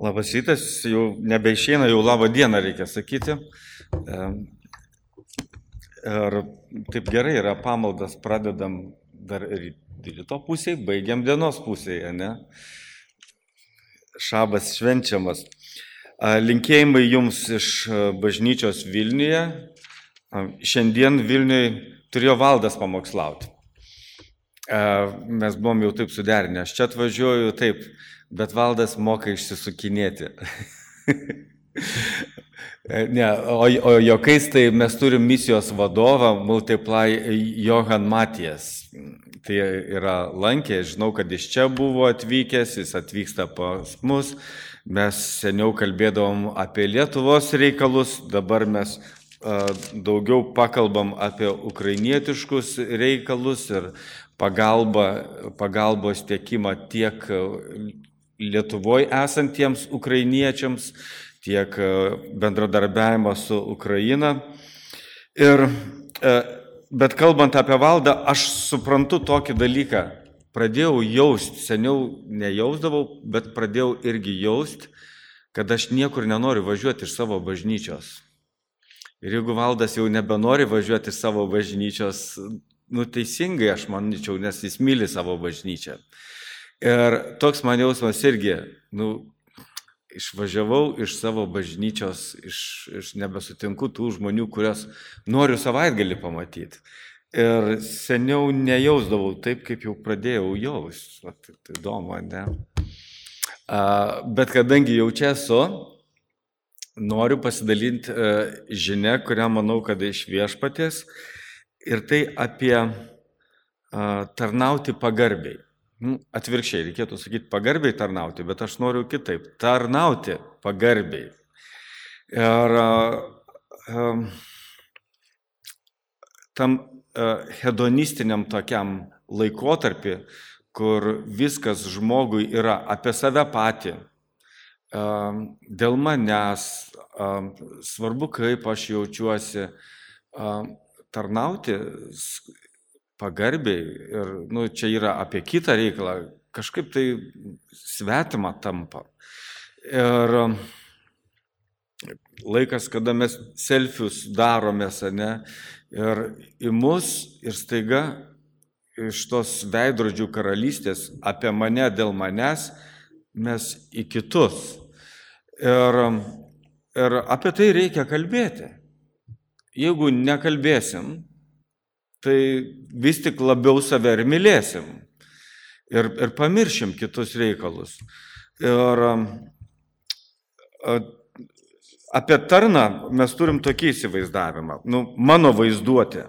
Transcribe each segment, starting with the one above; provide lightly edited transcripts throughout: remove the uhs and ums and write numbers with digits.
Labas rytas, jau nebeišeina, jau labą dieną reikia sakyti. Ir taip gerai yra pamaldas, pradedam dar ryto pusėje, baigiam dienos pusėje, ne? Šabas švenčiamas. Linkėjimai jums iš bažnyčios Vilniuje. Šiandien Vilniuje turėjo Valdas pamokslauti. Mes buvom jau taip suderinę, aš čia atvažiuoju taip, bet Valdas moka išsisukinėti. Ne, o jokais tai mes turim misijos vadovą Multiply Johan Matijas. Tai yra lankė, žinau, kad iš čia buvo atvykęs, jis atvyksta pas mus. Mes seniau kalbėdavom apie Lietuvos reikalus, dabar mes daugiau pakalbam apie ukrainietiškus reikalus ir pagalbos tiekimą tiek Lietuvoje esantiems ukrainiečiams, tiek bendradarbiavimą su Ukraina. Bet kalbant apie Valdą, aš suprantu tokį dalyką. Pradėjau jausti, seniau nejausdavau, bet pradėjau irgi jausti, kad aš niekur nenoriu važiuoti iš savo bažnyčios. Ir jeigu Valdas jau nebenori važiuoti iš savo bažnyčios, teisingai aš manyčiau, nes jis myli savo bažnyčią. Ir toks man jausmas irgi, išvažiavau iš savo bažnyčios, iš nebesutinku tų žmonių, kurios noriu savaitgalį pamatyti. Ir seniau nejausdavau taip, kaip jau pradėjau jaust. Tai įdomu, ne? Bet kadangi jau čia esu, noriu pasidalinti žinią, kurią manau, kad iš Viešpaties. Ir tai apie tarnauti pagarbiai. Atvirkščiai, reikėtų sakyti pagarbiai tarnauti, bet aš noriu kitaip. Tarnauti pagarbiai. Ir tam hedonistiniam tokiam laikotarpį, kur viskas žmogui yra apie save patį, dėl manęs, svarbu, kaip aš jaučiuosi, tarnauti pagarbiai ir čia yra apie kitą reikalą, kažkaip tai svetima tampa. Ir laikas, kada mes selfius daromės, ne, ir į mus ir staiga iš tos veidrodžių karalystės apie mane dėl manęs mes į kitus. Ir apie tai reikia kalbėti. Jeigu nekalbėsim, tai vis tik labiau save ir mylėsim ir pamiršim kitus reikalus. Ir apie tarną mes turim tokį įsivaizdavimą. Mano vaizduotė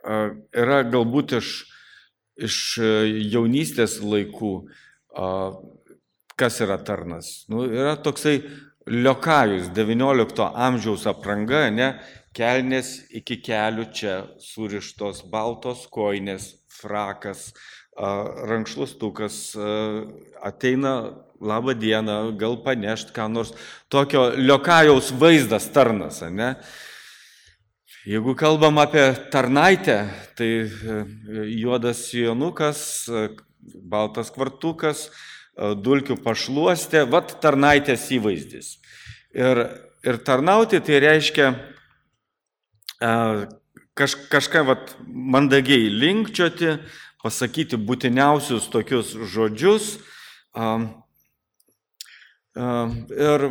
yra galbūt iš jaunystės laikų, kas yra tarnas. Yra toksai liokajus, 19 amžiaus apranga, ne? Kelnės iki kelių čia surištos, baltos kojinės, frakas, rankšluostukas, ateina labą dieną, gal panešt ką nors. Tokio liokajaus vaizdas tarnas, ne? Jeigu kalbam apie tarnaitę, tai juodas sijonukas, baltas kvartukas, dulkių pašluostė, vat tarnaitės įvaizdis. Ir tarnauti tai reiškia kažką mandagiai linkčioti, pasakyti būtiniausius tokius žodžius. Ir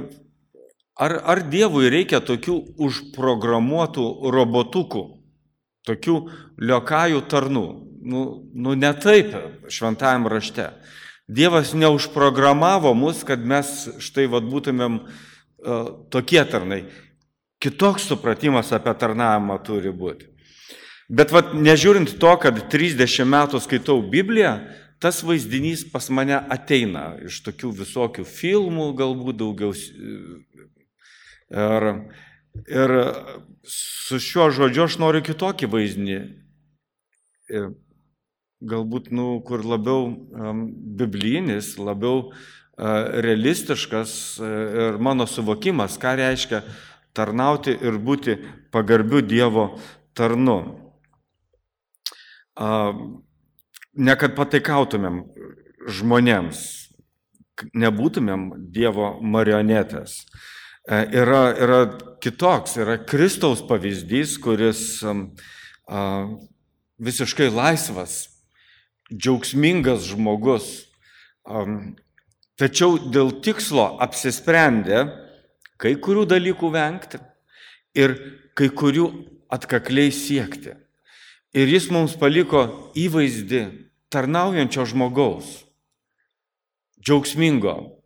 ar Dievui reikia tokių užprogramuotų robotukų, tokių liokajų tarnų? Ne taip šventajam rašte. Dievas neužprogramavo mus, kad mes štai būtumėm tokie tarnai. Kitoks supratimas apie tarnavimą turi būti. Bet nežiūrint to, kad 30 metų skaitau Bibliją, tas vaizdinys pas mane ateina iš tokių visokių filmų, galbūt daugiau. Ir su šiuo žodžiu aš noriu kitokį vaizdinį. Galbūt, kur labiau biblinis, labiau realistiškas ir mano suvokimas, ką reiškia tarnauti ir būti pagarbiu Dievo tarnu. Ne kad pataikautumėm žmonėms, nebūtumėm Dievo marionetės. Yra kitoks, yra Kristaus pavyzdys, kuris visiškai laisvas, džiaugsmingas žmogus, tačiau dėl tikslo apsisprendė kai kurių dalykų vengti ir kai kurių atkakliai siekti. Ir jis mums paliko įvaizdį tarnaujančio žmogaus, džiaugsmingo,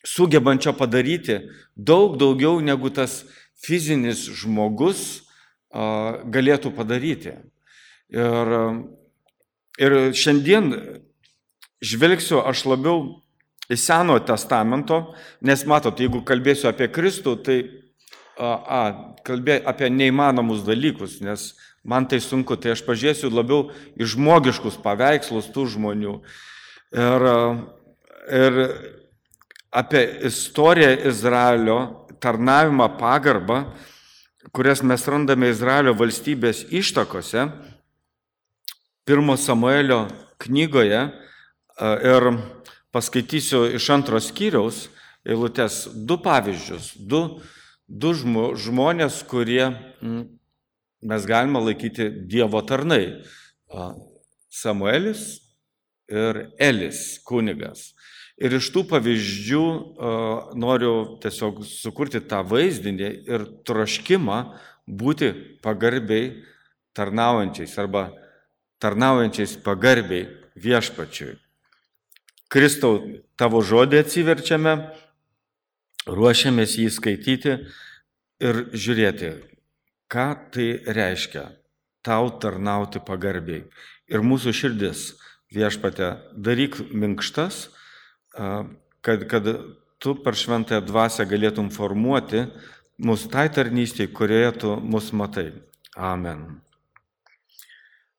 sugebančio padaryti daug daugiau negu tas fizinis žmogus galėtų padaryti. Ir šiandien žvelgsiu aš labiau į Senojo testamento, nes matot, jeigu kalbėsiu apie Kristų, tai kalbėsiu apie neįmanomus dalykus, nes man tai sunku, tai aš pažiūrėsiu labiau į žmogiškus paveikslus tų žmonių. Ir apie istoriją Izraelio, tarnavimą, pagarbą, kurias mes randame Izraelio valstybės ištakose, 1 Samuelio knygoje, ir paskaitysiu iš 2 skyriaus eilutės 2 pavyzdžius, 2 žmonės, kurie mes galime laikyti Dievo tarnai. Samuelis ir Elis, kunigas. Ir iš tų pavyzdžių noriu tiesiog sukurti tą vaizdinį ir troškimą būti pagarbiai tarnaujančiais arba tarnaujančiais pagarbiai viešpačiui. Kristau, tavo žodį atsiverčiame, ruošiamės jį skaityti ir žiūrėti, ką tai reiškia tau tarnauti pagarbiai. Ir mūsų širdis, viešpate, daryk minkštas, kad tu per šventąją dvasią galėtum formuoti mus tai tarnystėje, kurioje tu mus matai. Amen.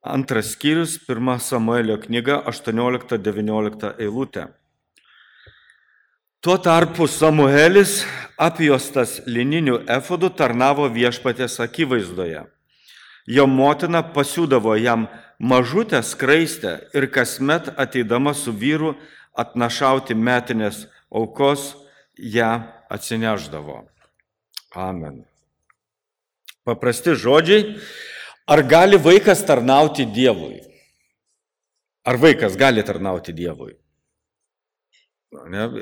2 skyrius, 1 Samuelio knyga, 18-19 eilutė. Tuo tarpu Samuelis, apjuostas lininiu efodu, tarnavo viešpaties akivaizdoje. Jo motina pasiūdavo jam mažutę skraistę ir kasmet ateidama su vyru atnašauti metinės aukos, ją atsineždavo. Amen. Paprasti žodžiai. Ar gali vaikas tarnauti Dievui? Ar vaikas gali tarnauti Dievui?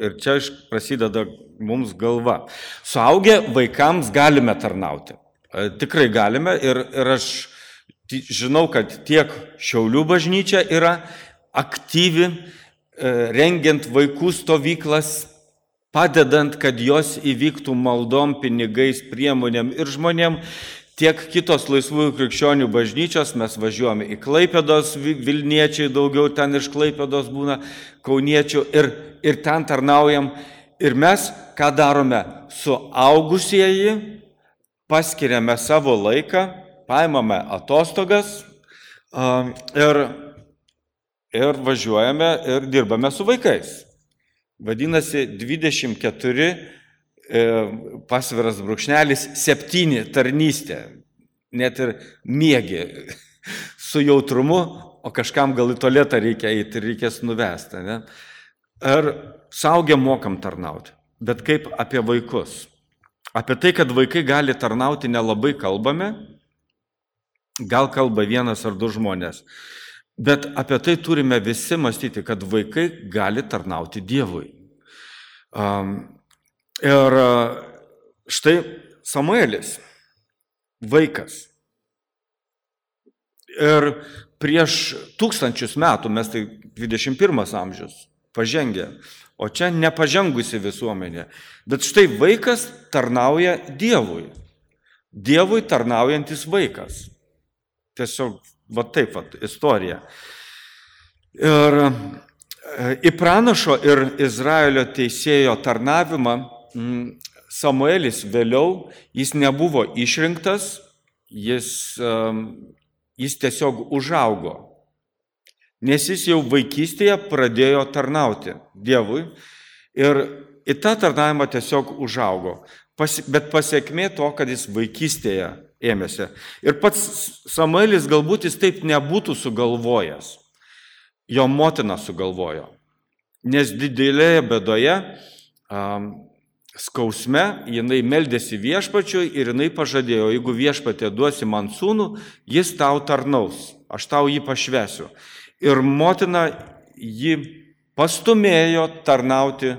Ir čia prasideda mums galva. Suaugę vaikams galime tarnauti. Tikrai galime ir aš žinau, kad tiek Šiaulių bažnyčia yra aktyvi, rengiant vaikų stovyklas, padedant, kad jos įvyktų maldom, pinigais, priemonėm ir žmonėm. Tiek kitos laisvųjų krikščionių bažnyčios, mes važiuojame į Klaipėdos, Vilniečiai daugiau ten iš Klaipėdos būna, kauniečių ir ten tarnaujam. Ir mes ką darome? Suaugusieji paskiriame savo laiką, paimame atostogas ir važiuojame ir dirbame su vaikais. Vadinasi, 24 pasviras brūkšnelis 7 tarnystė, net ir miegi su jautrumu, o kažkam gal į tualetą reikia eiti ir reikės nuvesti. Ne? Ir suaugę mokam tarnauti, bet kaip apie vaikus. Apie tai, kad vaikai gali tarnauti, nelabai kalbame, gal kalba 1 ar 2 žmonės, bet apie tai turime visi mąstyti, kad vaikai gali tarnauti Dievui. Ir štai Samuelis, vaikas. Ir prieš 1000 metų, mes tai 21 amžius, pažengę, o čia nepažengusi visuomenė. Bet štai vaikas tarnauja Dievui. Dievui tarnaujantis vaikas. Tiesiog va taip, istorija. Ir į pranašo ir Izraelio teisėjo tarnavimą Samuelis vėliau, jis nebuvo išrinktas, jis tiesiog užaugo, nes jis jau vaikystėje pradėjo tarnauti Dievui ir į tą tarnavimą tiesiog užaugo, bet pasiekmė to, kad jis vaikystėje ėmėsi. Ir pats Samuelis galbūt jis taip nebūtų sugalvojęs, jo motina sugalvojo. nes didelėje bėdoje, skausme, jinai meldėsi viešpačiui ir jinai pažadėjo, jeigu viešpatė duosi man sūnų, jis tau tarnaus, aš tau jį pašvesiu. Ir motina jį pastumėjo tarnauti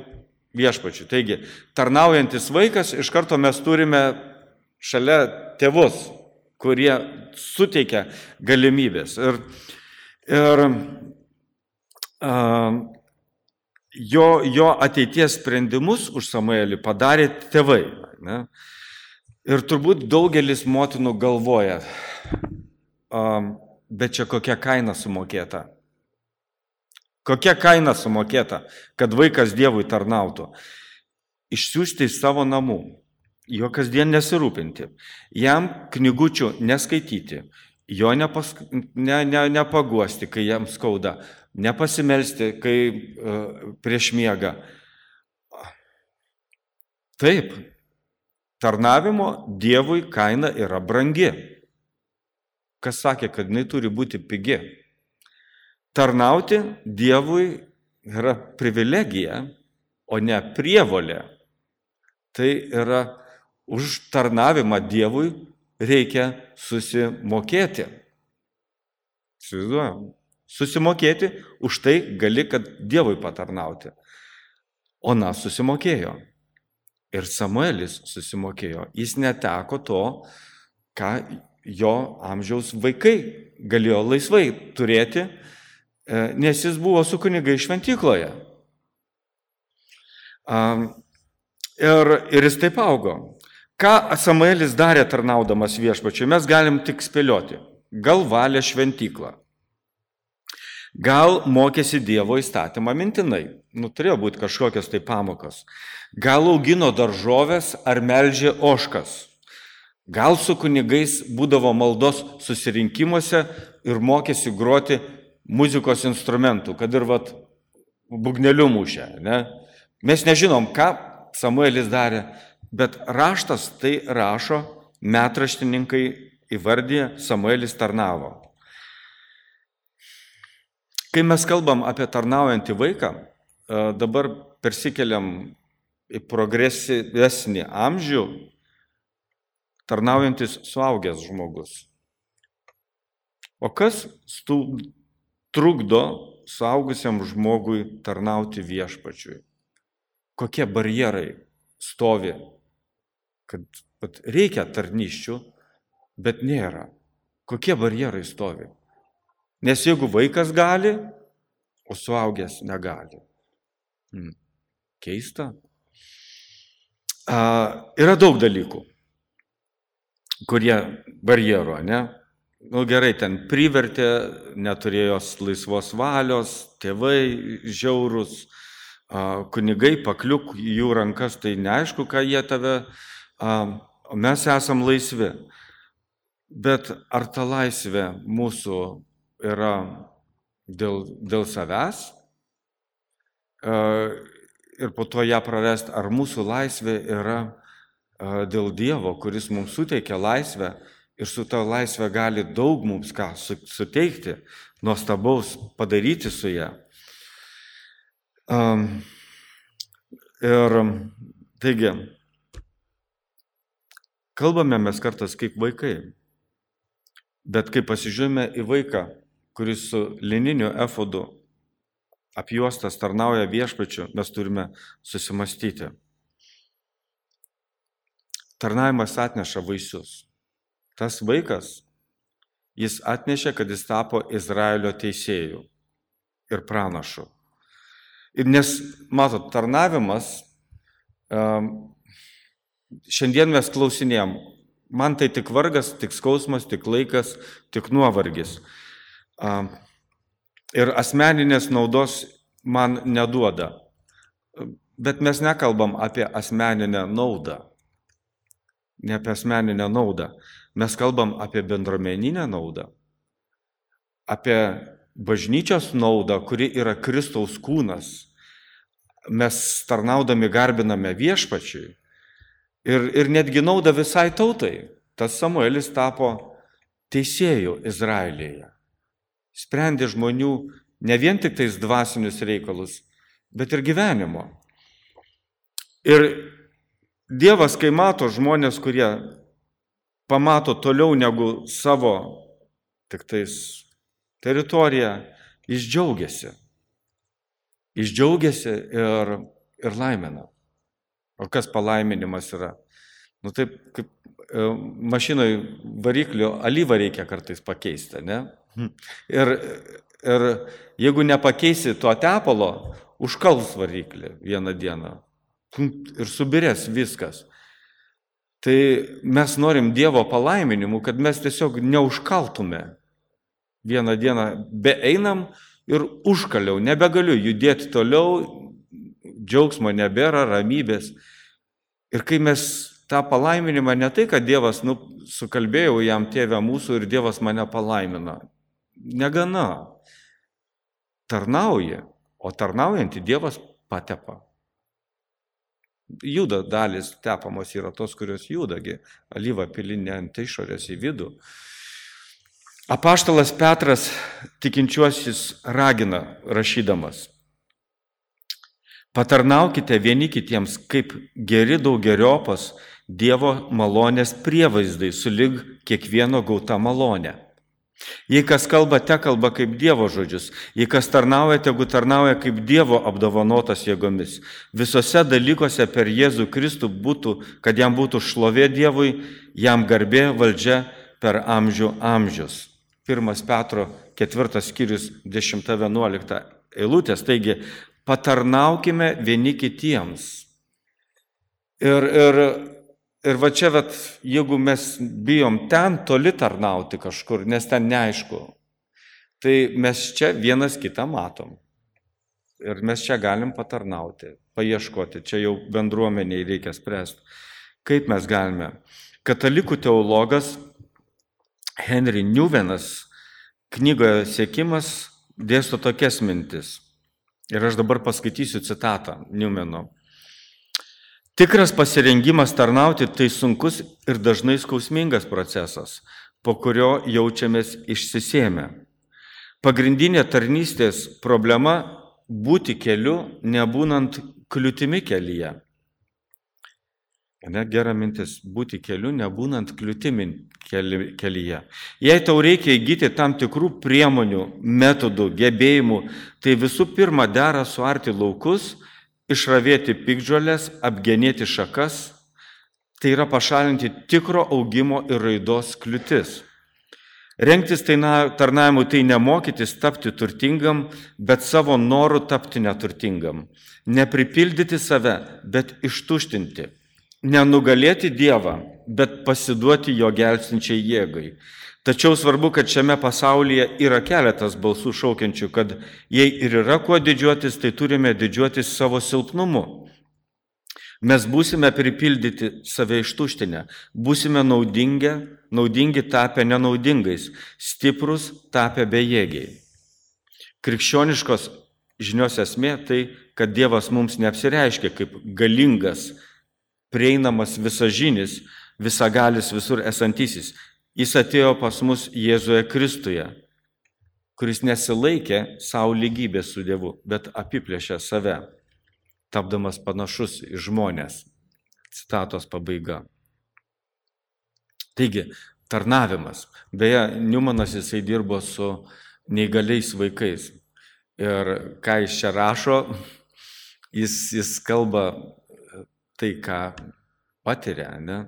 viešpačiui. Taigi, tarnaujantis vaikas, iš karto mes turime šalia tėvus, kurie suteikia galimybės. Ir jo ateities sprendimus už Samuelį padarė tėvai. Ne? Ir turbūt daugelis motinų galvoja, bet čia kokia kaina sumokėta. Kokia kaina sumokėta, kad vaikas Dievui tarnautų? Išsiųsti iš savo namų, jo kasdien nesirūpinti, jam knygučių neskaityti, jo nepaguosti, kai jam skauda, nepasimelsti, kai prieš miegą. Taip, tarnavimo Dievui kaina yra brangi. Kas sakė, kad jinai turi būti pigi? Tarnauti Dievui yra privilegija, o ne prievolė. Tai yra už tarnavimą Dievui reikia susimokėti. Įsivaizduojam? Susimokėti, už tai gali, kad Dievui patarnauti. Ona susimokėjo. Ir Samuelis susimokėjo. Jis neteko to, ką jo amžiaus vaikai galėjo laisvai turėti, nes jis buvo su kunigai šventykloje. Ir jis taip augo. Ką Samuelis darė tarnaudamas viešpačiui, mes galim tik spėlioti. Gal valė šventyklą. Gal mokėsi Dievo įstatymą mintinai. Turėjo būti kažkokios tai pamokos. Gal augino daržovės ar melžė ožkas. Gal su kunigais būdavo maldos susirinkimuose ir mokėsi groti muzikos instrumentų, kad ir būgneliu mušė. Ne? Mes nežinom, ką Samuelis darė, bet raštas tai rašo, metraštininkai įvardė, Samuelis tarnavo. Kai mes kalbam apie tarnaujantį vaiką, dabar persikeliam į progresyvesnį amžių, tarnaujantis suaugęs žmogus. O kas trukdo suaugusiam žmogui tarnauti viešpačiui? Kokie barjerai stovi, kad reikia tarnysčių, bet nėra. Kokie barjerai stovi? Nes jeigu vaikas gali, o suaugęs negali. Keista. Yra daug dalykų, kurie barjero, ne? Gerai, ten privertė, neturėjo laisvos valios, tėvai žiaurūs, kunigai pakliuk jų rankas, tai neaišku, ką jie tave, mes esam laisvi. Bet ar ta laisvė mūsų yra dėl savęs ir po to ją prarasti, ar mūsų laisvė yra dėl Dievo, kuris mums suteikia laisvę ir su ta laisvė gali daug mums ką suteikti, nuostabaus padaryti su ją. Ir taigi, kalbame mes kartais kaip vaikai, bet kai pasižiūrime į vaiką, kuris su lininiu efodu apjuostas tarnauja viešpačiu, mes turime susimastyti. Tarnavimas atneša vaisius. Tas vaikas, jis atnešė, kad jis tapo Izraelio teisėjų ir pranašu. Ir nes, matot, tarnavimas, šiandien mes klausinėjom, man tai tik vargas, tik skausmas, tik laikas, tik nuovargis. Ir asmeninės naudos man neduoda. Bet mes nekalbam apie asmeninę naudą. Ne apie asmeninę naudą. Mes kalbam apie bendruomeninę naudą. Apie bažnyčios naudą, kuri yra Kristaus kūnas. Mes tarnaudami garbiname viešpačiui. Ir netgi naudą visai tautai. Tas Samuelis tapo teisėjų Izraelyje. Sprendė žmonių ne vien tik tais dvasinius reikalus, bet ir gyvenimo. Ir Dievas, kai mato žmonės, kurie pamato toliau negu savo tik tais teritoriją, jis džiaugiasi. Jis džiaugiasi ir laimina. O kas palaiminimas yra? Nu taip, kaip mašinoj variklio alyvą reikia kartais pakeisti, ne? Ir jeigu nepakeisi to tepalo, užkals variklį vieną dieną ir subirės viskas. Tai mes norim Dievo palaiminimų, kad mes tiesiog neužkaltume. Vieną dieną beeinam ir užkaliau, nebegaliu judėti toliau, džiaugsmo nebėra, ramybės. Ir kai mes tą palaiminimą, ne tai, kad Dievas, sukalbėjau jam tėvę mūsų ir Dievas mane palaimina. Negana. Tarnauja, o tarnaujantį Dievas patepa. Juda dalis tepamos yra tos, kurios judagi, alyva pilinė ant išorės į vidų. Apaštalas Petras tikinčiuosius ragina rašydamas: patarnaukite vieni kitiems kaip geri daugeriopas Dievo malonės prievaizdai sulig kiekvieno gauta malonė. Jei kas kalba, te kalba kaip Dievo žodžius, jei kas tarnauja, tegu tarnauja kaip Dievo apdovanotas jėgomis. Visose dalykuose per Jėzų Kristų būtų, kad jam būtų šlovė Dievui, jam garbė valdžia per amžių amžius. 1 Petro 4 skyrius 10-11 eilutės. Taigi, patarnaukime vieni kitiems. Ir va čia, jeigu mes bijom ten toli tarnauti kažkur, nes ten neaišku, tai mes čia vienas kitą matom. Ir mes čia galim patarnauti, paieškoti. Čia jau bendruomeniai reikia spręsti. Kaip mes galime? Katalikų teologas Henry Newmanas knygoje Siekimas dėsto tokias mintis. Ir aš dabar paskaitysiu citatą Newmano. Tikras pasirengimas tarnauti tai sunkus ir dažnai skausmingas procesas, po kurio jaučiamės išsisėmę. Pagrindinė tarnystės problema – būti keliu, nebūnant kliūtimi kelyje. Gera mintis – būti keliu, nebūnant kliūtimi kelyje. Jei tau reikia įgyti tam tikrų priemonių, metodų, gebėjimų, tai visų pirma dera suarti laukus, išravėti piktžoles, apgenėti šakas, tai yra pašalinti tikro augimo ir raidos kliūtis. Rengtis tarnavimui tai nemokytis tapti turtingam, bet savo noru tapti neturtingam. Nepripildyti save, bet ištuštinti. Nenugalėti Dievą, bet pasiduoti jo gelbstinčiai jėgai. Tačiau svarbu, kad šiame pasaulyje yra keletas balsų šaukiančių, kad jei ir yra kuo didžiuotis, tai turime didžiuotis savo silpnumu. Mes būsime pripildyti save ištuštinę, būsime naudingi tapę nenaudingais, stiprus tapę bejėgiai. Krikščioniškos žinios esmė tai, kad Dievas mums neapsireiškia kaip galingas, prieinamas visažinis, visagalis visur esantysis. Jis atėjo pas mus Jėzuje Kristuje, kuris nesilaikė savo lygybės su Dievu, bet apiplėšė save, tapdamas panašus į žmonės. Citatos pabaiga. Taigi, tarnavimas. Beje, Newmanas jisai dirbo su neįgaliais vaikais. Ir ką jis čia rašo, jis kalba tai, ką patiria, ne?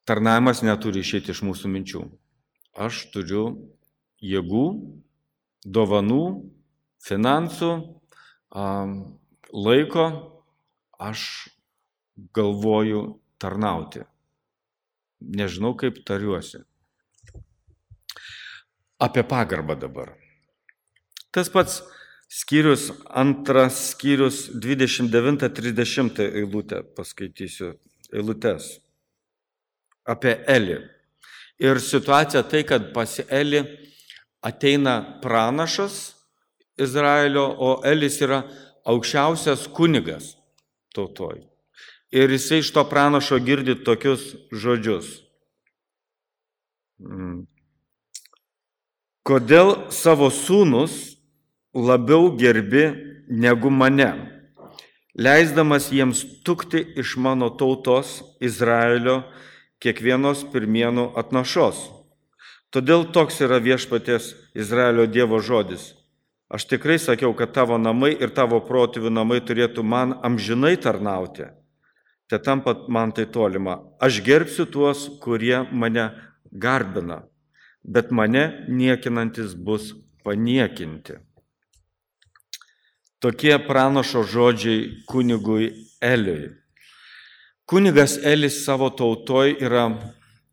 Tarnavimas neturi išeiti iš mūsų minčių. Aš turiu jėgų, dovanų, finansų, laiko, aš galvoju tarnauti. Nežinau, kaip tariuosi. Apie pagarbą dabar. Tas pats skyrius, 2 skyrius 29-30 eilutę paskaitysiu, eilutes. Apie Elį. Ir situacija tai, kad pas Elį ateina pranašas Izraelio, o Elis yra aukščiausias kunigas tautoj. Ir jisai iš to pranašo girdi tokius žodžius. Kodėl savo sūnus labiau gerbi negu mane, leisdamas jiems tukti iš mano tautos Izraelio kiekvienos pirmienų atnašos. Todėl toks yra viešpaties Izraelio Dievo žodis. Aš tikrai sakiau, kad tavo namai ir tavo protėvių namai turėtų man amžinai tarnauti. Te tampa man tai tolima. Aš gerbsiu tuos, kurie mane garbina, bet mane niekinantis bus paniekinti. Tokie pranašo žodžiai kunigui Eliui. Kunigas Elis savo tautoj yra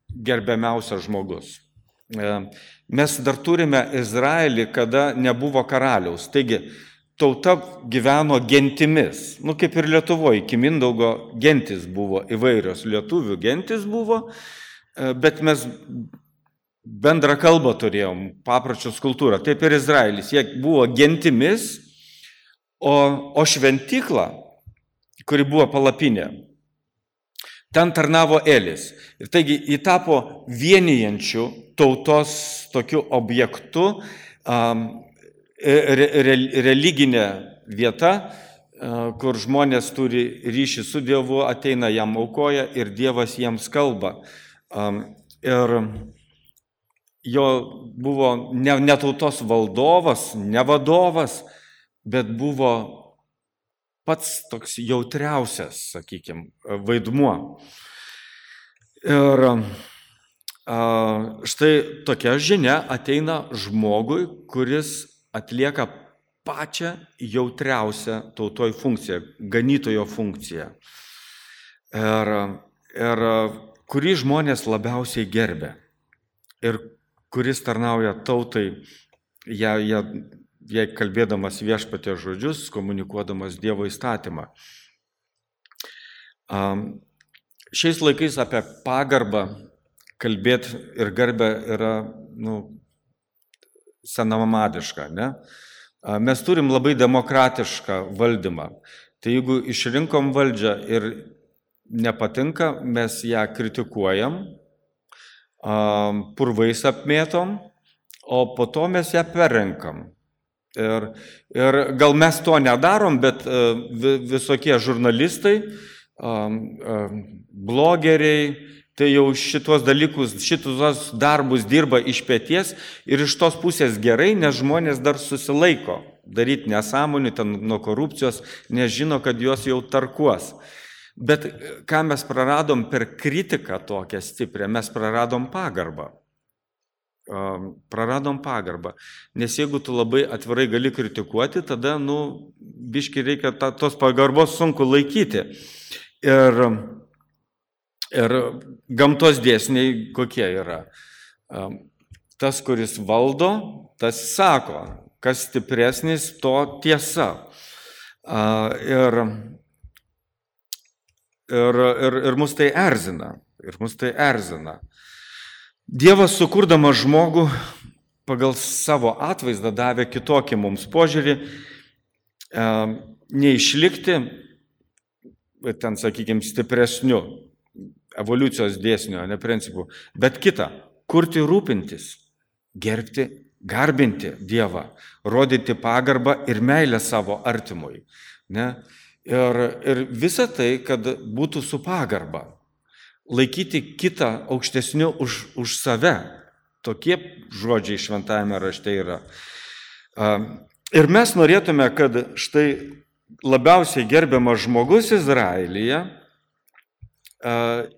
gerbiamiausias žmogus. Mes dar turime Izraelį, kada nebuvo karaliaus. Taigi, tauta gyveno gentimis. Kaip ir Lietuvoje, iki Mindaugo gentis buvo įvairios. Lietuvių gentis buvo, bet mes bendrą kalbą turėjom, papročius kultūrą. Taip ir Izraelis. Jie buvo gentimis, o šventykla, kuri buvo palapinė, ten tarnavo Elis. Ir taigi jį tapo vienijančių tautos tokiu objektu, religinė vieta, kur žmonės turi ryšį su Dievu, ateina jam aukoja ir Dievas jiems kalba. Ir jo buvo ne tautos valdovas, ne vadovas, bet buvo pats toks jautriausias, sakykime, vaidmuo. Ir štai tokia žinia ateina žmogui, kuris atlieka pačią jautriausią tautoj funkciją, ganytojo funkciją. Ir kurį žmonės labiausiai gerbė. Ir kuris tarnauja tautai, jei kalbėdamas viešpaties žodžius, komunikuodamas Dievo įstatymą. Šiais laikais apie pagarbą kalbėti ir garbę yra senamadiška, ne? Mes turim labai demokratišką valdymą. Tai jeigu išrinkom valdžią ir nepatinka, mes ją kritikuojam, purvais apmėtom, o po to mes ją perrenkam. Ir gal mes to nedarom, bet visokie žurnalistai, blogeriai, tai jau šitos dalykus, šitos darbus dirba iš peties ir iš tos pusės gerai, nes žmonės dar susilaiko daryti nesąmonių, ten nuo korupcijos, nes žino, kad jos jau tarkuos. Bet ką mes praradom per kritiką tokią stiprią, mes praradom pagarbą. Nes jeigu tu labai atvirai gali kritikuoti, tada, biški reikia tos pagarbos sunku laikyti. Ir gamtos dėsniai kokie yra. Tas, kuris valdo, tas sako, kas stipresnis, to tiesa. Ir mus tai erzina. Dievas, sukurdamas žmogų, pagal savo atvaizdą davė kitokį mums požiūrį, neišlikti, ten, sakykime, stipresniu evoliucijos dėsnio, ne principų, bet kitą, kurti rūpintis, gerbti, garbinti Dievą, rodyti pagarbą ir meilę savo artimui. Ne? Ir visa tai, kad būtų su pagarba. Laikyti kitą aukštesniu už save. Tokie žodžiai šventajame rašte yra. Ir mes norėtume, kad štai labiausiai gerbiamas žmogus Izraelyje,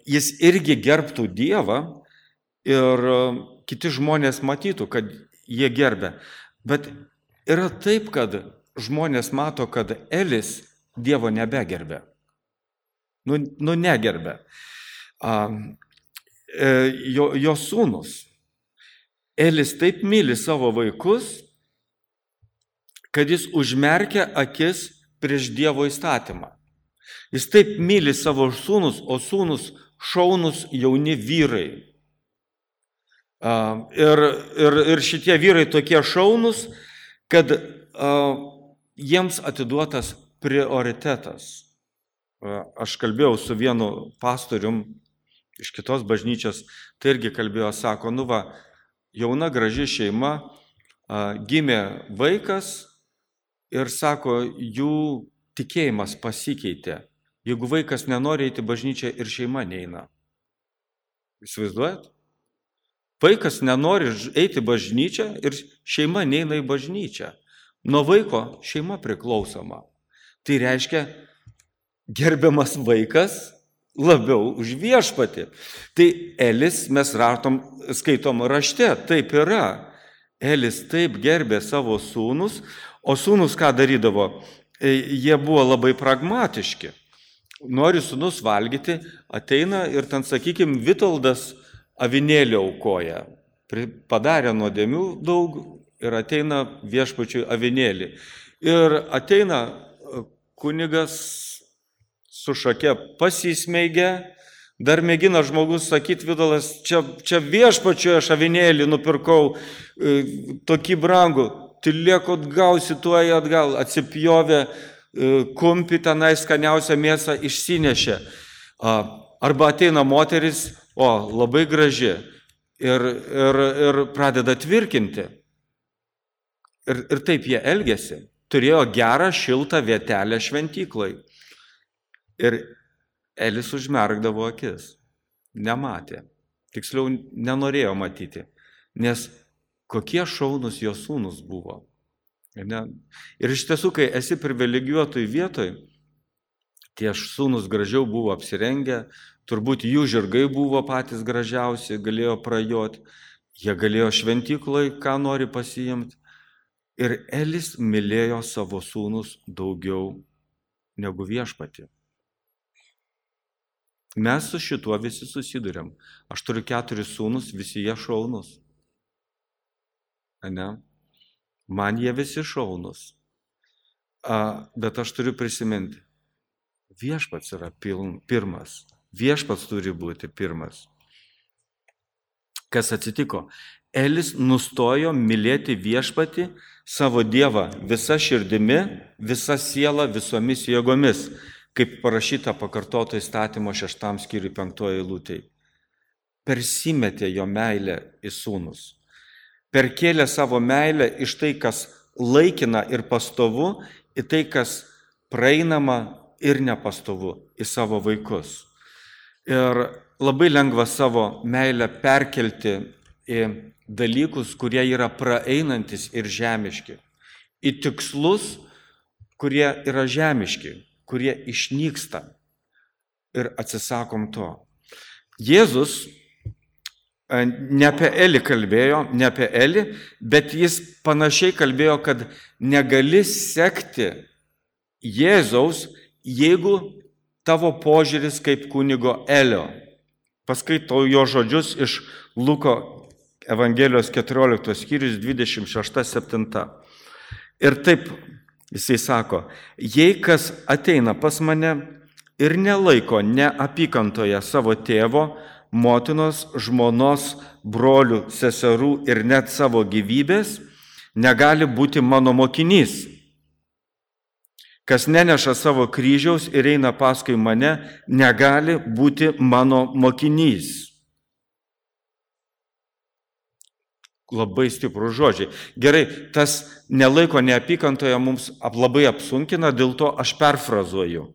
jis irgi gerbtų Dievą ir kiti žmonės matytų, kad jie gerbia. Bet yra taip, kad žmonės mato, kad Elis Dievo nebegerbė. Negerbė. Jo sūnus. Elis taip myli savo vaikus, kad jis užmerkia akis prieš Dievo įstatymą. Jis taip myli savo sūnus, o sūnus šaunus jauni vyrai. Ir šitie vyrai tokie šaunus, kad jiems atiduotas prioritetas. Aš kalbėjau su vienu pastorium iš kitos bažnyčios, tai irgi kalbėjo, sako, jauna graži šeima, gimė vaikas, ir sako, jų tikėjimas pasikeitė. Jeigu vaikas nenori eiti į bažnyčią ir šeima neina. Įsivaizduojat? Vaikas nenori eiti į bažnyčią ir šeima neina į bažnyčią. Nuo vaiko šeima priklausoma. Tai reiškia, gerbiamas vaikas labiau už viešpatį. Tai Elis, mes skaitom rašte, taip yra. Elis taip gerbė savo sūnus, o sūnus ką darydavo? Jie buvo labai pragmatiški. Nori sūnus valgyti, ateina ir ten, sakykime, Vitoldas avinėlį aukoja. Padarė nuodėmių daug ir ateina viešpačiui avinėlį. Ir ateina kunigas su šake pasismeigia, dar mėgina žmogus sakyti, Vitoldas, čia viešpačiui aš avinėlį nupirkau tokį brangų, tylėkot gausi tuoj atgal, atsipjovė kumpį tenai skaniausią mėsą išsinešė. Arba ateina moteris, labai graži, ir pradeda tvirkinti. Ir taip jie elgėsi. Turėjo gerą, šiltą vietelę šventyklai. Ir Elis užmerkdavo akis. Nematė. Tiksliau, nenorėjo matyti. Nes kokie šaunus jo sūnus buvo. Ir iš tiesų, kai esi privilegijuotoj vietoj, tie sūnus gražiau buvo apsirengę, turbūt jų žirgai buvo patys gražiausi, galėjo prajoti, jie galėjo šventyklai, ką nori pasiimti. Ir Elis mylėjo savo sūnus daugiau negu viešpatį. Mes su šituo visi susiduriam. Aš turiu 4 sūnus, visi jie šaunus. Ne? Man jie visi šaunus. Bet aš turiu prisiminti, viešpats yra pirmas. Viešpats turi būti pirmas. Kas atsitiko? Elis nustojo mylėti viešpatį, savo Dievą visa širdimi, visa siela, visomis jėgomis, kaip parašyta pakartoto įstatymo 6 skyriui 5 eilutėje. Persimetė jo meilę į sūnus. Perkėlė savo meilę iš tai, kas laikina ir pastovu, į tai, kas praeinama ir nepastovu, į savo vaikus. Ir labai lengva savo meilę perkelti į dalykus, kurie yra praeinantis ir žemiški. Į tikslus, kurie yra žemiški, kurie išnyksta. Ir atsisakom to. Jėzus ne apie Elį kalbėjo, ne apie Elį, bet jis panašiai kalbėjo, kad negali sekti Jėzaus, jeigu tavo požiūris kaip kunigo Elio. Paskaitau jo žodžius iš Luko Evangelijos 14 skyrius 26-7. Ir taip jisai sako, jei kas ateina pas mane ir nelaiko neapykantoje savo tėvo, motinos, žmonos, brolių, seserų ir net savo gyvybės, negali būti mano mokinys. Kas neneša savo kryžiaus ir eina paskui mane, negali būti mano mokinys. Labai stiprus žodžiai. Gerai, tas nelaiko neapykantoje mums labai apsunkina, dėl to aš perfrazuoju.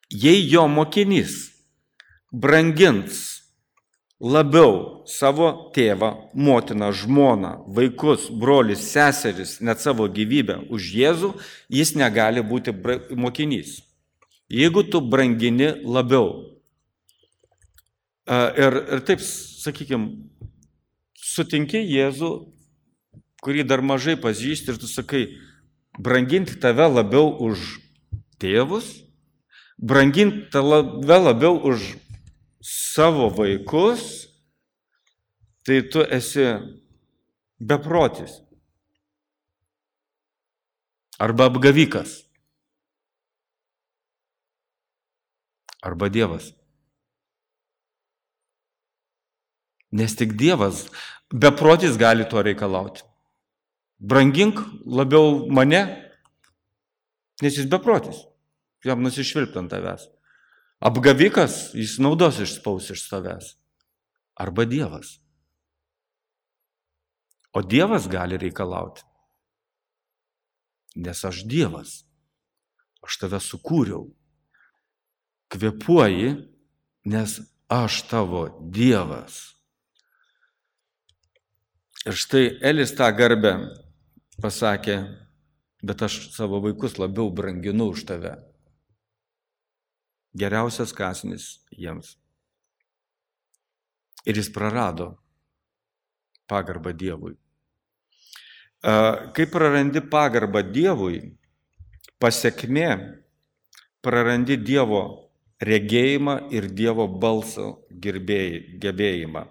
Jei jo mokinys brangins labiau savo tėvą, motiną, žmoną, vaikus, brolius, seseris, net savo gyvybę už Jėzų, jis negali būti mokinys. Jeigu tu brangini labiau. Ir taip, sakykime, sutinki Jėzų, kurį dar mažai pažįsti ir tu sakai, branginti tave labiau už tėvus, branginti tave labiau už savo vaikus, tai tu esi beprotis. Arba apgavikas. Arba Dievas. Nes tik Dievas, beprotis gali to reikalauti. Brangink labiau mane, nes jis beprotis. Jam nusišvilpti ant tavęs. Apgavikas, jis naudos išspaus iš savęs. Arba Dievas. O Dievas gali reikalauti. nes aš Dievas. Aš tave sukūriau. Kvėpuoji, nes aš tavo Dievas. Ir štai Elis tą garbę pasakė, bet aš savo vaikus labiau branginu už tave. Geriausias kąsnis jiems. Ir jis prarado pagarbą Dievui. Kai prarandi pagarbą Dievui, pasekmė prarandi Dievo regėjimą ir Dievo balso gebėjimą.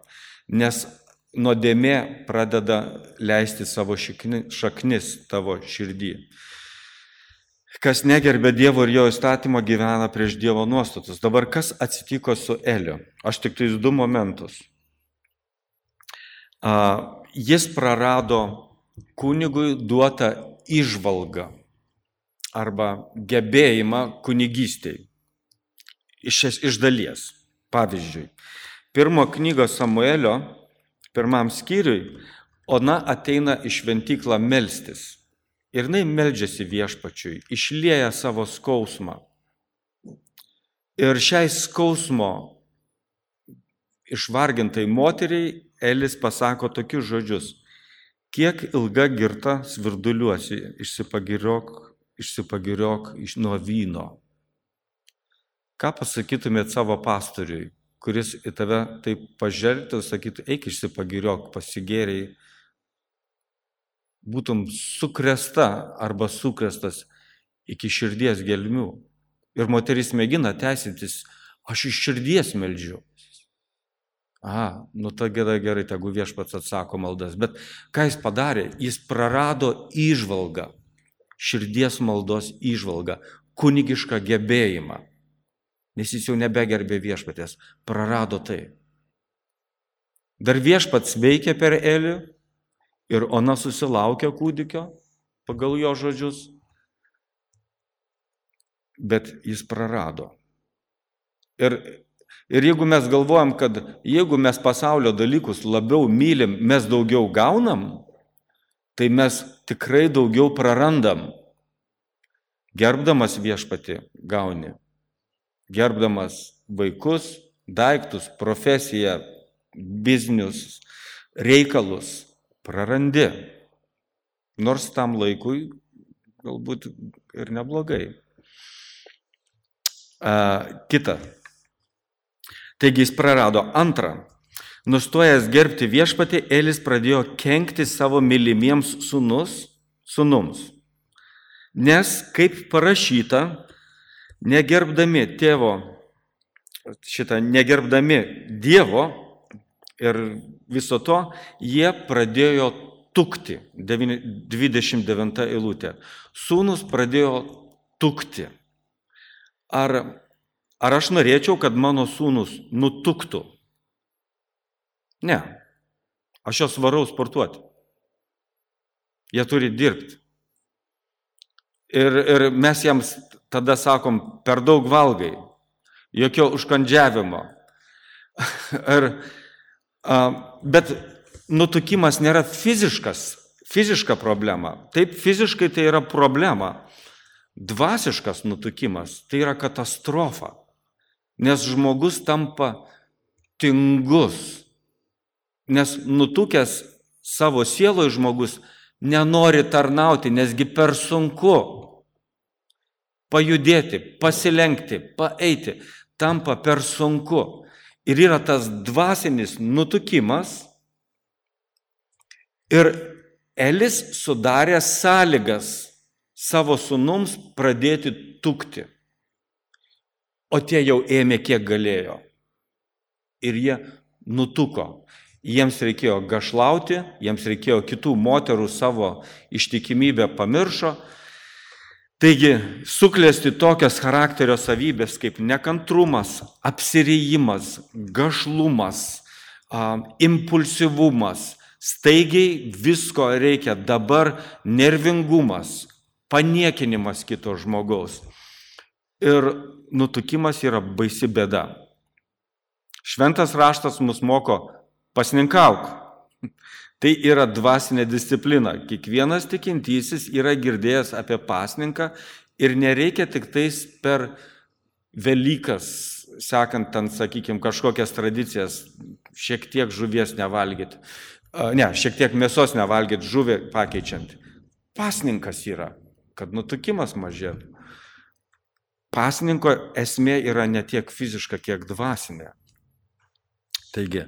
Nes nuodėmė pradeda leisti savo šaknis tavo širdį. Kas negerbė Dievo ir jo įstatymo, gyvena prieš Dievo nuostatus. Dabar kas atsitiko su Eliu? Aš tik tais 2 momentus. Jis prarado kunigui duotą įžvalgą arba gebėjimą kunigystei. Iš dalies. Pavyzdžiui, 1 knygos Samuelio 1 skyriui Ona ateina į šventyklą melstis. Ir jinai meldžiasi viešpačiui, išlieja savo skausmą. Ir šiai skausmo išvargintai moteriai Elis pasako tokius žodžius: kiek ilga girta svirduliuosi, išsipagiriok nuo vyno. Ką pasakytumėt savo pastoriui, kuris į tave taip pažvelgtų ir sakytų, eik išsipagiriok, pasigėriai, būtum sukrėsta arba sukrestas iki širdies gelmių. Ir moteris mėgina teisintis, aš iš širdies meldžiu. Ta gerai, tegu viešpats atsako maldas. Bet ką jis padarė? Jis prarado įžvalgą, širdies maldos įžvalgą, kunigišką gebėjimą. Nes jis jau nebegerbė viešpatės, prarado tai. Dar viešpats veikė per Elį ir Ona susilaukė kūdikio, pagal jo žodžius, bet jis prarado. Ir jeigu mes galvojam, kad jeigu mes pasaulio dalykus labiau mylim, mes daugiau gaunam, tai mes tikrai daugiau prarandam. Gerbdamas viešpatį gauni. Gerbdamas vaikus, daiktus, profesiją, biznius, reikalus, prarandi. Nors tam laikui galbūt ir neblogai. Kita. Taigi jis prarado. Antra. Nustojęs gerbti viešpatį, Elis pradėjo kenkti savo mylimiems sūnums. Nes, kaip parašyta, negerbdami Dievo ir viso to, jie pradėjo tukti. 29 eilutė. Sūnus pradėjo tukti. Ar aš norėčiau, kad mano sūnus nutuktų? Ne. Aš juos varau sportuoti. Jie turi dirbti. Ir mes jiems tada sakom, per daug valgai, jokio užkandžiavimo. Bet nutukimas nėra fiziška problema. Taip, fiziškai tai yra problema. Dvasiškas nutukimas tai yra katastrofa, nes žmogus tampa tingus, nes nutukęs savo sieloje žmogus nenori tarnauti, nesgi per sunku. Pajudėti, pasilenkti, paeiti, tampa per sunku. Ir yra tas dvasinis nutukimas. Ir Elis sudarė sąlygas savo sūnums pradėti tukti. O tie jau ėmė kiek galėjo. Ir jie nutuko. Jiems reikėjo gašlauti, jiems reikėjo kitų moterų savo ištikimybę pamiršo. Taigi, suklesti tokias charakterio savybės kaip nekantrumas, apsirijimas, gašlumas, impulsyvumas, staigiai visko reikia dabar, nervingumas, paniekinimas kito žmogaus. Ir nutukimas yra baisi bėda. Šventas raštas mus moko pasninkauk. Tai yra dvasinė disciplina. Kiekvienas tikintysis yra girdėjęs apie pasninką ir nereikia tik tais per Velykas, sekant ten, sakykime, kažkokias tradicijas, šiek tiek žuvies nevalgyti. Šiek tiek mėsos nevalgyti, žuvį pakeičiant. Pasninkas yra, kad nutukimas mažėtų. Pasninko esmė yra ne tiek fiziška, kiek dvasinė. Taigi,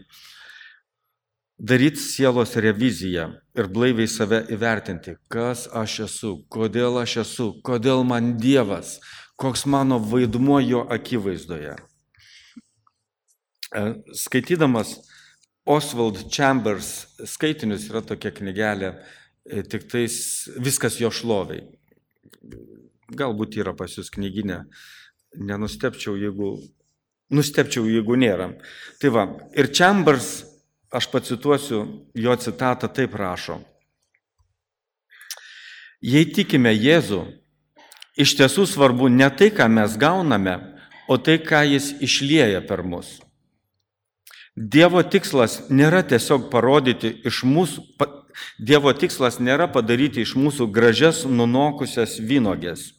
daryti sielos reviziją ir blaiviai save įvertinti, kas aš esu, kodėl man Dievas, koks mano vaidmuo jo akivaizdoje. Skaitydamas Oswald Chambers skaitinius, yra tokia knygelė, tik tais viskas jo šloviai. Galbūt yra pas jūs knyginė, nustepčiau, jeigu nėra. Tai va, ir Chambers, aš pacituosiu jo citatą, taip rašo. Jei tikime Jėzų, iš tiesų svarbu ne tai, ką mes gauname, o tai, ką jis išlieja per mus. Dievo tikslas nėra tiesiog parodyti iš mūsų, Dievo tikslas nėra padaryti iš mūsų gražias nunokusias vynogės.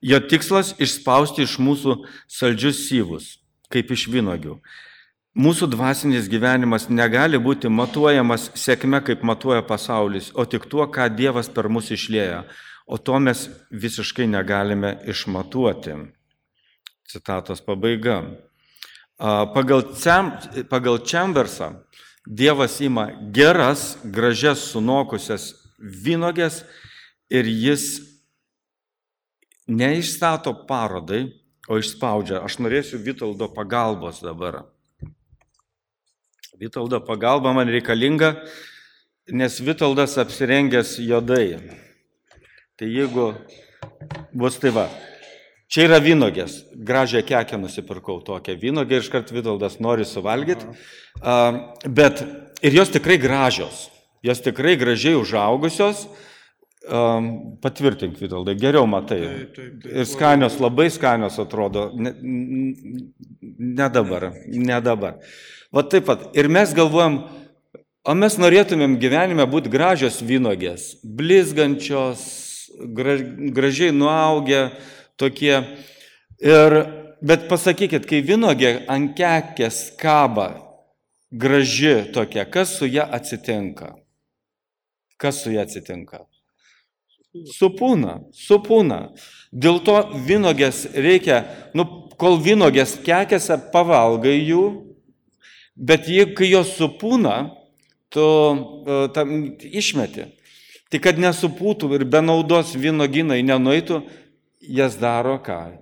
Jo tikslas išspausti iš mūsų saldžius syvus, kaip iš vynogių. Mūsų dvasinis gyvenimas negali būti matuojamas sėkme, kaip matuoja pasaulis, o tik tuo, ką Dievas per mus išlieja. O to mes visiškai negalime išmatuoti. Citatos pabaiga. Pagal Chambersą Dievas ima geras, gražias, sunokusias vynogės ir jis neišstato parodai, o išspaudžia. Aš norėsiu Vitoldo pagalbos dabar. Vitoldo pagalba man reikalinga, nes Vitoldas apsirengęs juodai. Tai jeigu bus tai va, čia yra vynogės, gražią kekę nusipirkau tokią vynogę ir iškart Vitoldas nori suvalgyti, bet ir jos tikrai gražios, jos tikrai gražiai užaugusios, patvirtink Vitoldai, geriau matai, ir skanios, labai skanios atrodo, ne dabar. Va taip pat, ir mes galvojam, o mes norėtumėm gyvenime būti gražios vynogės, blizgančios, gražiai nuaugę, tokie. Bet pasakykit, kai vynogė ant kekės kaba, graži tokia, kas su ją atsitinka? Supūna. Dėl to vynogės reikia, kol vynogės kekėse pavalgai jų, bet kai jos supūna, tu tam išmeti. Tai kad nesupūtų ir be naudos vynoginai nenueitų, jas daro ką?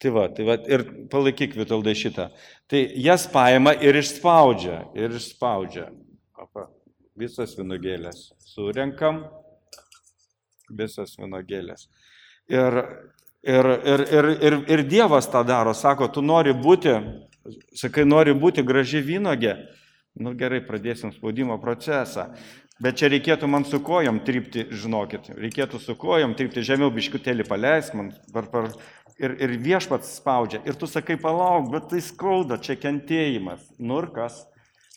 Tai va, ir palaikyk Vitoldai šitą. Tai jas paima ir išspaudžia. Visas vynogėlės. Surenkam visas vynogėlės. Ir Dievas tą daro, sako, tu nori būti graži vynogė. Gerai, pradėsim spaudimo procesą. Bet čia reikėtų man su kojom trypti, žinokit. Reikėtų su kojom trypti, žemiau biškutėlį paleisk man. Ir Viešpats spaudžia. Ir tu sakai, palauk, bet tai skauda, čia kentėjimas. Ir kas?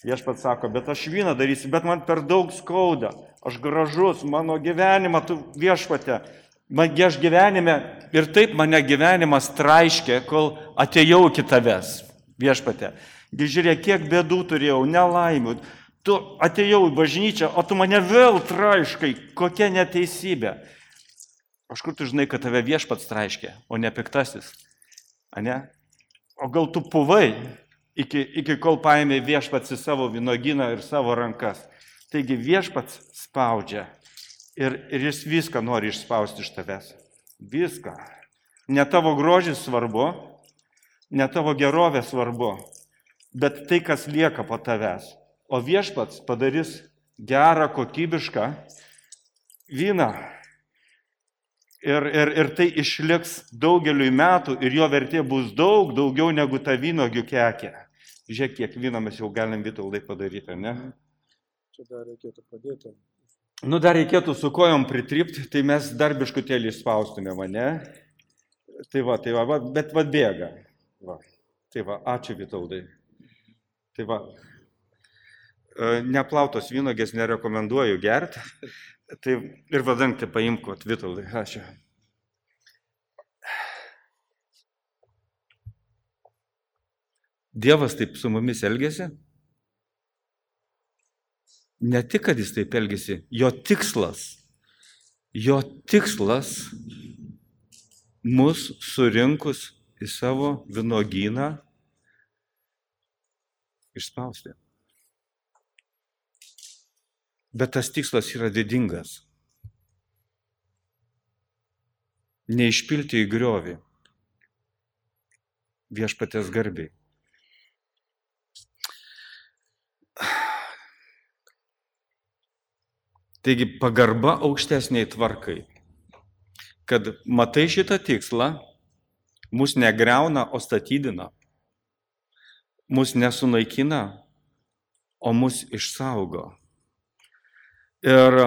Viešpats sako, bet aš vyną darysiu, bet man per daug skauda. Aš gražus, mano gyvenimą, tu Viešpate. Aš gyvenime ir taip mane gyvenimas traiškė, kol atėjau iki tavęs, Viešpate. Žiūrėk, kiek bėdų turėjau, nelaimių. Tu atėjau į bažnyčią, o tu mane vėl traiškai. Kokia neteisybė. Aš kur tu žinai, kad tave Viešpats traiškė, o ne piktasis? Ane? O gal tu puvai, iki kol paėmė Viešpats į savo vynogyną ir savo rankas. Taigi Viešpats spaudžia ir jis viską nori išspausti iš tavęs. Viską. Ne tavo grožis svarbu, ne tavo gerovė svarbu, bet tai, kas lieka po tavęs. O Viešpats padarys gerą, kokybišką vyną. Ir tai išliks daugeliui metų ir jo vertė bus daugiau negu ta vynogių kekė. Žiūrėk, kiek vyno mes jau galim Vitoldai padaryti, ne? Čia dar reikėtų padėti. Dar reikėtų su kojom pritrypti, tai mes dar biškutėlį spaustume mane. Tai va, bet bėga. Va. Tai va, ačiū Vitoldai. Tai va. neplautos vynogės nerekomenduoju gerti. Tai ir vadangti paimk, Vitoldai, ačiū. Dievas taip su mumis elgėsi. Ne tik, kad jis taip elgėsi, jo tikslas mus surinkus į savo vynuogyną išspausti. Bet tas tikslas yra didingas. Neišpilti į griovį viešpaties garbiai. Taigi pagarba aukštesniai tvarkai. Kad matai šitą tikslą, mus negriauna, o statydina. Mus nesunaikina, o mus išsaugo. Ir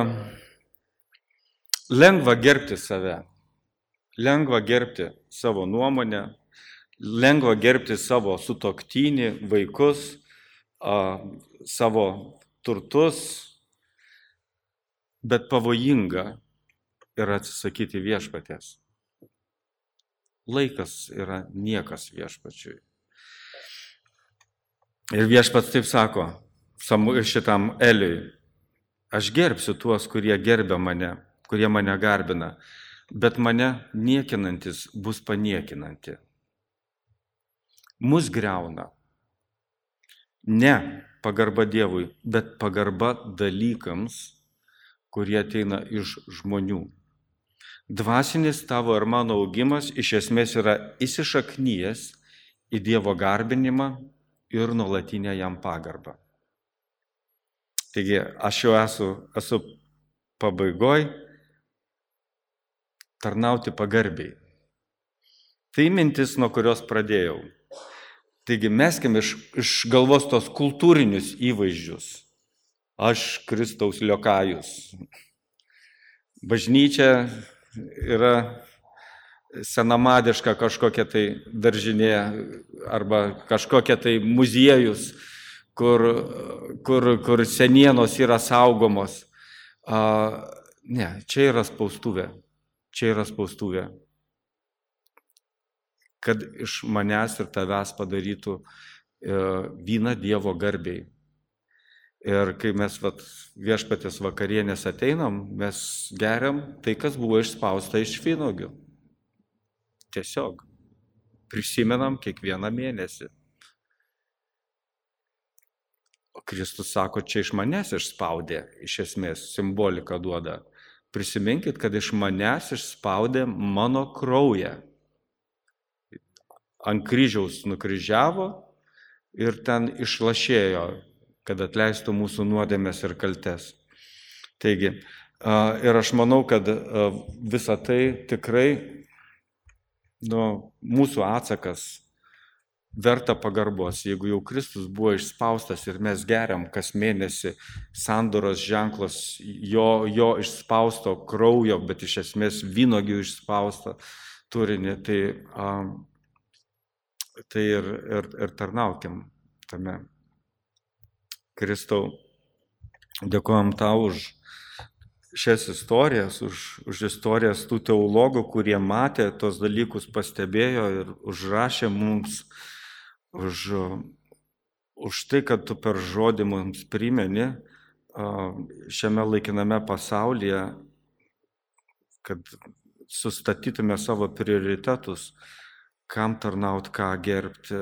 lengva gerbti save, lengva gerbti savo nuomonę, lengva gerbti savo sutuoktinį, vaikus, savo turtus, bet pavojinga yra atsisakyti viešpaties. Laikas yra niekas viešpačiui. Ir viešpats taip sako šitam Eliui: aš gerbsiu tuos, kurie gerbia mane, kurie mane garbina, bet mane niekinantis bus paniekinanti. Mus griauna ne pagarba Dievui, bet pagarba dalykams, kurie ateina iš žmonių. Dvasinis tavo ir mano augimas iš esmės yra įsišaknyjęs į Dievo garbinimą ir nuolatinę jam pagarbą. Taigi aš jau esu pabaigoj, tarnauti pagarbiai. Tai mintis, nuo kurios pradėjau. Taigi meskim iš galvos tos kultūrinius įvaizdžius. Aš Kristaus liokajus. Bažnyčia yra senamadiška kažkokia tai daržinė arba kažkokia tai muziejus, kur senienos yra saugomos. Ne, čia yra spaustuvė. Čia yra spaustuvė. Kad iš manęs ir tavęs padarytų vyną Dievo garbiai. Ir kai mes viešpatės vakarienės ateinam, mes geriam tai, kas buvo išspausta iš vynuogių. Tiesiog prisimenam kiekvieną mėnesį. O Kristus sako, čia iš manęs išspaudė, iš esmės simboliką duoda. Prisiminkit, kad iš manęs išspaudė mano kraują. Ant kryžiaus nukryžiavo ir ten išlašėjo, kad atleistų mūsų nuodėmes ir kaltes. Taigi, ir aš manau, kad visa tai tikrai mūsų atsakas verta pagarbos. Jeigu jau Kristus buvo išspaustas ir mes geriam kas mėnesį sandoros ženklas jo išspausto kraujo, bet iš esmės vynuogių išspausto turinį, tai ir tarnaukim tame. Kristau, dėkojam tau už šias istorijas, už istorijas tų teologų, kurie matė tos dalykus, pastebėjo ir užrašė mums, už tai, kad tu per žodį mums primeni šiame laikiname pasaulyje, kad sustatytume savo prioritetus, kam tarnaut, ką gerbti,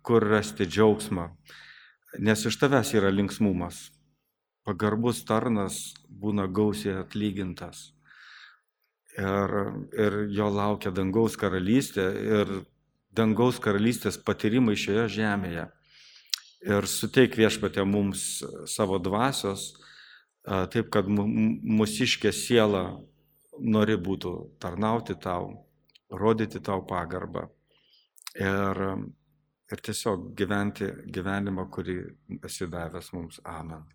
kur rasti džiaugsmą. Nes iš tavęs yra linksmumas. Pagarbus tarnas būna gausiai atlygintas. Ir jo laukia dangaus karalystė ir dangaus karalystės patyrimai šioje žemėje. Ir suteik viešpatie mums savo dvasios, taip kad mūsiškė siela nori būtų tarnauti tau, rodyti tau pagarbą. Ir tiesiog gyventi gyvenimą, kurį esi davęs mums. Amen.